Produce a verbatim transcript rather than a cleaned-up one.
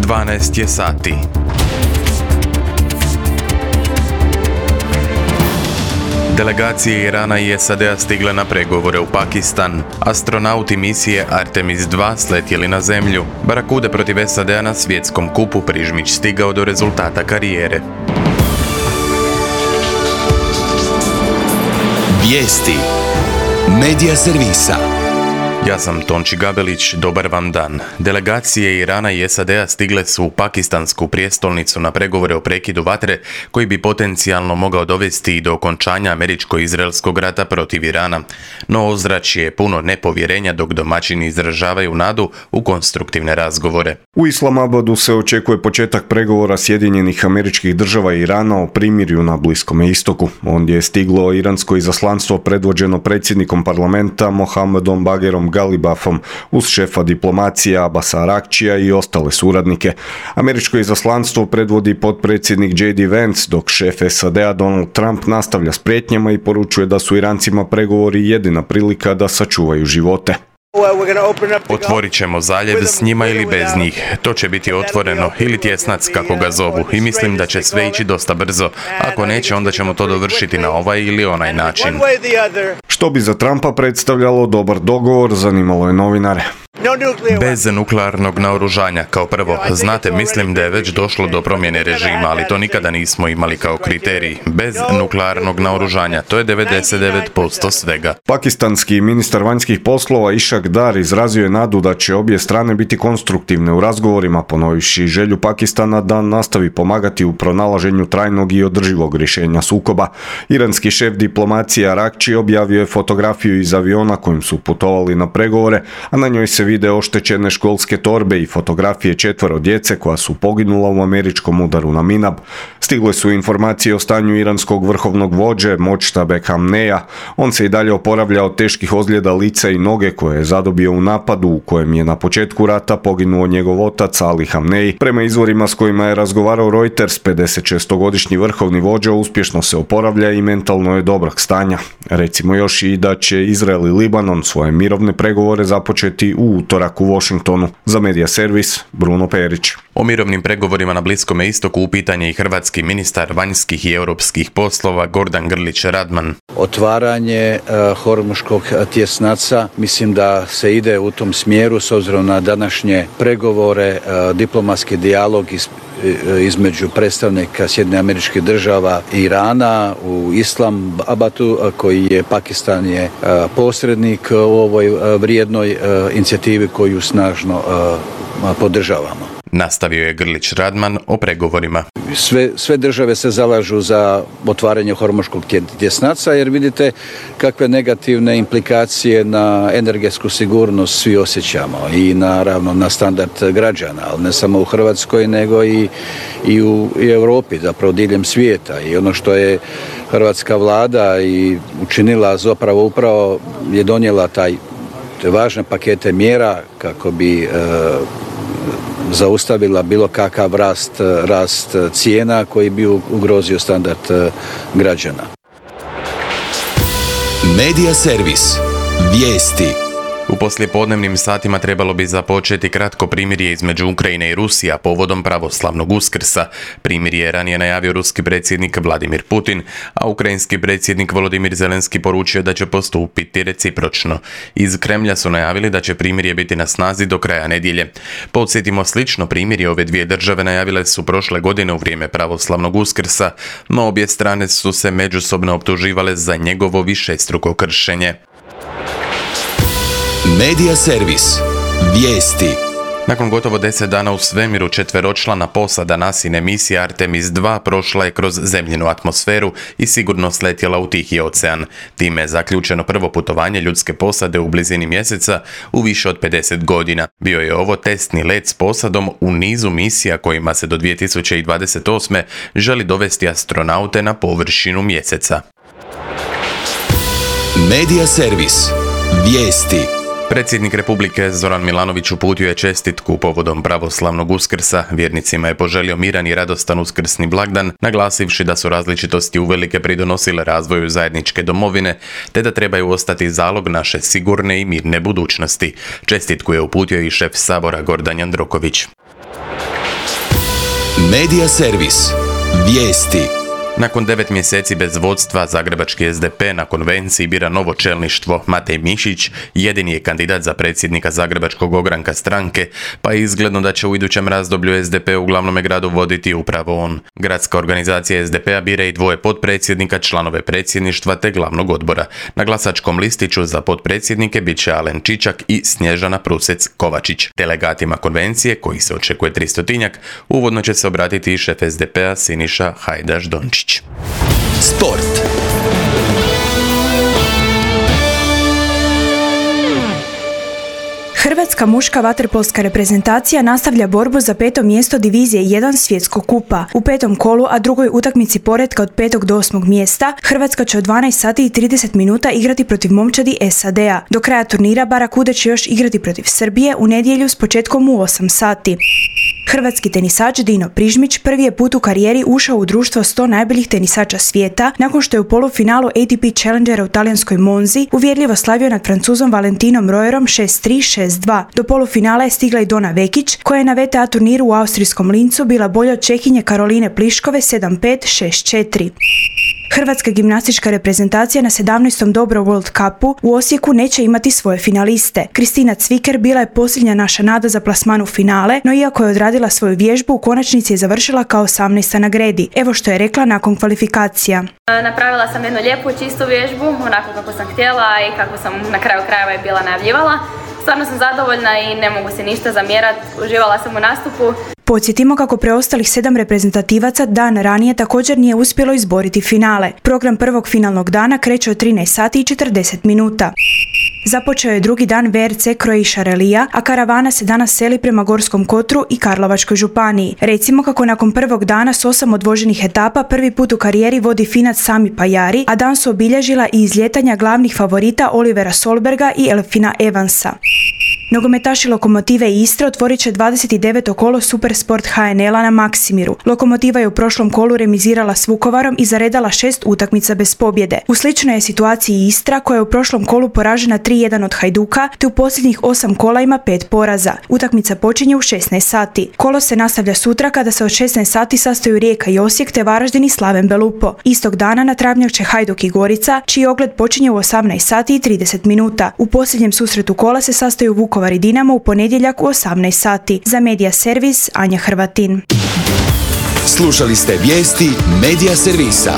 dvanaest je sati. Delegacije Irana i S A D-a stigle na pregovore u Pakistan. Astronauti misije Artemis dva sletjeli na zemlju. Barakude protiv S A D-a na svjetskom kupu Prižmić stigao do rezultata karijere. Vijesti Medija servisa. Ja sam Tonči Gabelić, dobar vam dan. Delegacije Irana i S A D-a stigle su u pakistansku prijestolnicu na pregovore o prekidu vatre koji bi potencijalno mogao dovesti i do okončanja američko-izraelskog rata protiv Irana. No ozračje je puno nepovjerenja dok domaćini izražavaju nadu u konstruktivne razgovore. U Islamabadu se očekuje početak pregovora Sjedinjenih Američkih Država i Irana o primirju na Bliskome istoku. Ondje je stiglo iransko izaslanstvo predvođeno predsjednikom parlamenta Mohamedom Bagherom Galibafom uz šefa diplomacije Abasa Arakčija i ostale suradnike. Američko izaslanstvo predvodi potpredsjednik J D Vance, dok šef S A D-a Donald Trump nastavlja s prijetnjama i poručuje da su Irancima pregovori jedina prilika da sačuvaju živote. Otvorit ćemo zaljev s njima ili bez njih. To će biti otvoreno ili tjesnac kako ga zovu i mislim da će sve ići dosta brzo. Ako neće, onda ćemo to dovršiti na ovaj ili onaj način. Što bi za Trumpa predstavljalo dobar dogovor, zanimalo je novinare. Bez nuklearnog naoružanja, kao prvo. Znate, mislim da je već došlo do promjene režima, ali to nikada nismo imali kao kriterij. Bez nuklearnog naoružanja, to je devedeset devet posto svega. Pakistanski ministar vanjskih poslova Ishaq Dar izrazio je nadu da će obje strane biti konstruktivne u razgovorima, ponovivši želju Pakistana da nastavi pomagati u pronalaženju trajnog i održivog rješenja sukoba. Iranski šef diplomacije Arakči objavio je fotografiju iz aviona kojim su putovali na pregovore, a na njoj se vide oštećene školske torbe i fotografije četvero djece koja su poginula u američkom udaru na Minab. Stigle su informacije o stanju iranskog vrhovnog vođe Močtabe Hamneja. On se i dalje oporavlja od teških ozljeda lica i noge koje je zadobio u napadu u kojem je na početku rata poginuo njegov otac Ali Hamnej. Prema izvorima s kojima je razgovarao Reuters, pedesetšestogodišnji vrhovni vođa uspješno se oporavlja i mentalno je dobrog stanja. Recimo još i da će Izrael i Libanon svoje mirovne pregovore započeti u utorak u Washingtonu. Za Medija servis, Bruno Perić. O mirovnim pregovorima na Bliskome istoku upitan je i hrvatski ministar vanjskih i europskih poslova Gordan Grlić Radman. Otvaranje uh, hormuškog tjesnaca, mislim da se ide u tom smjeru s obzirom na današnje pregovore, uh, diplomatski dijalog iz između predstavnika Sjedinjenih Američkih Država i Irana u Islamabadu, koji je Pakistan je posrednik u ovoj vrijednoj inicijativi koju snažno podržavamo. Nastavio je Grlić Radman o pregovorima. Sve, sve države se zalažu za otvaranje hormuškog tjesnaca jer vidite kakve negativne implikacije na energetsku sigurnost svi osjećamo i naravno na standard građana, ali ne samo u Hrvatskoj nego i, i u i Europi, zapravo diljem svijeta. I ono što je hrvatska vlada i učinila zapravo upravo je donijela taj te važne pakete mjera kako bi e, zaustavila bilo kakav rast, rast cijena koji bi ugrozio standard građana. Medija servis. Vijesti. U poslijepodnevnim satima trebalo bi započeti kratko primirje između Ukrajine i Rusije povodom pravoslavnog Uskrsa. Primirje je ranije najavio ruski predsjednik Vladimir Putin, a ukrajinski predsjednik Volodimir Zelenski poručio da će postupiti recipročno. Iz Kremlja su najavili da će primirje biti na snazi do kraja nedjelje. Podsjetimo, slično primirje ove dvije države najavile su prošle godine u vrijeme pravoslavnog Uskrsa, no obje strane su se međusobno optuživale za njegovo višestruko kršenje. Medija servis. Vijesti. Nakon gotovo deset dana u svemiru, četveročlana posada NASIne misije Artemis dva prošla je kroz zemljinu atmosferu i sigurno sletjela u Tihi ocean. Time je zaključeno prvo putovanje ljudske posade u blizini mjeseca u više od pedeset godina. Bio je ovo testni let s posadom u nizu misija kojima se do dvije tisuće dvadeset osme želi dovesti astronaute na površinu mjeseca. Medija servis. Vijesti. Predsjednik Republike Zoran Milanović uputio je čestitku povodom pravoslavnog Uskrsa. Vjernicima je poželio miran i radostan uskrsni blagdan, naglasivši da su različitosti uvelike pridonosile razvoju zajedničke domovine, te da trebaju ostati zalog naše sigurne i mirne budućnosti. Čestitku je uputio i šef Sabora Gordan Jandroković. Medija servis. Vijesti. Nakon devet mjeseci bez vodstva, zagrebački S D P na konvenciji bira novo čelništvo. Matej Mišić jedini je kandidat za predsjednika zagrebačkog ogranka stranke, pa je izgledno da će u idućem razdoblju S D P u glavnome gradu voditi upravo on. Gradska organizacija S D P-a bira i dvoje potpredsjednika, članove predsjedništva te glavnog odbora. Na glasačkom listiću za potpredsjednike bit će Alen Čičak i Snježana Prusec-Kovačić. Delegatima konvencije, koji se očekuje tristotinjak, uvodno će se obratiti i šef S D P-a Siniša Hajdaš-Dončić. Sport. Hrvatska muška vaterpolska reprezentacija nastavlja borbu za peto mjesto divizije jedan svjetskog kupa. U petom kolu, a drugoj utakmici poretka od petog do osmog mjesta, Hrvatska će od dvanaest sati i trideset minuta igrati protiv momčadi S A D-a. Do kraja turnira Barakude će još igrati protiv Srbije u nedjelju s početkom u osam sati. Hrvatski tenisač Dino Prižmić prvi je put u karijeri ušao u društvo sto najboljih tenisača svijeta nakon što je u polufinalu A T P Challengera u talijanskoj Monzi uvjerljivo slavio nad Francuzom Valentinom Royerom šest tri šest dva. Do polufinala je stigla i Dona Vekić, koja je na V T A turniru u austrijskom Lincu bila bolja od Čehinje Karoline Pliškove sedam pet šest četiri. Hrvatska gimnastička reprezentacija na sedamnaestom Dobro World Cupu u Osijeku neće imati svoje finaliste. Kristina Cviker bila je posljednja naša nada za plasman u finale, no iako je odradila svoju vježbu, u konačnici je završila kao osamnaesta na gredi. Evo što je rekla nakon kvalifikacija. Napravila sam jednu lijepu, čistu vježbu, onako kako sam htjela i kako sam na kraju krajeva je bila najavljivala. Stvarno sam zadovoljna i ne mogu se ništa zamjerati, uživala sam u nastupu. Podsjetimo kako preostalih sedam reprezentativaca dan ranije također nije uspjelo izboriti finale. Program prvog finalnog dana kreće od trinaest sati i četrdeset minuta. Započeo je drugi dan V R C Croatia Relija, a karavana se danas seli prema Gorskom Kotru i Karlovačkoj županiji. Recimo kako nakon prvog dana s osam odvoženih etapa prvi put u karijeri vodi Finac Sami Pajari, a dan su obilježila i izljetanja glavnih favorita Olivera Solberga i Elfina Evansa. Nogometaši Lokomotive Istra otvorit će dvadeset deveto kolo Supersport H N L-a na Maksimiru. Lokomotiva je u prošlom kolu remizirala s Vukovarom i zaredala šest utakmica bez pobjede. U sličnoj je situaciji Istra, koja je u prošlom kolu poražena tri jedan od Hajduka, te u posljednjih osam kola ima pet poraza. Utakmica počinje u šesnaest sati. Kolo se nastavlja sutra kada se od šesnaest sati sastaju Rijeka i Osijek te Varaždin i Slaven Belupo. Istog dana na travnjak će Hajduk i Gorica, čiji ogled počinje u osamnaest sati i trideset minuta. U posljednjem susretu kola se sastaju Vukovar i Dinamo u ponedjeljak u osamnaest sati. Za Medija servis Anja Hrvatin. Slušali ste vijesti Medija servisa.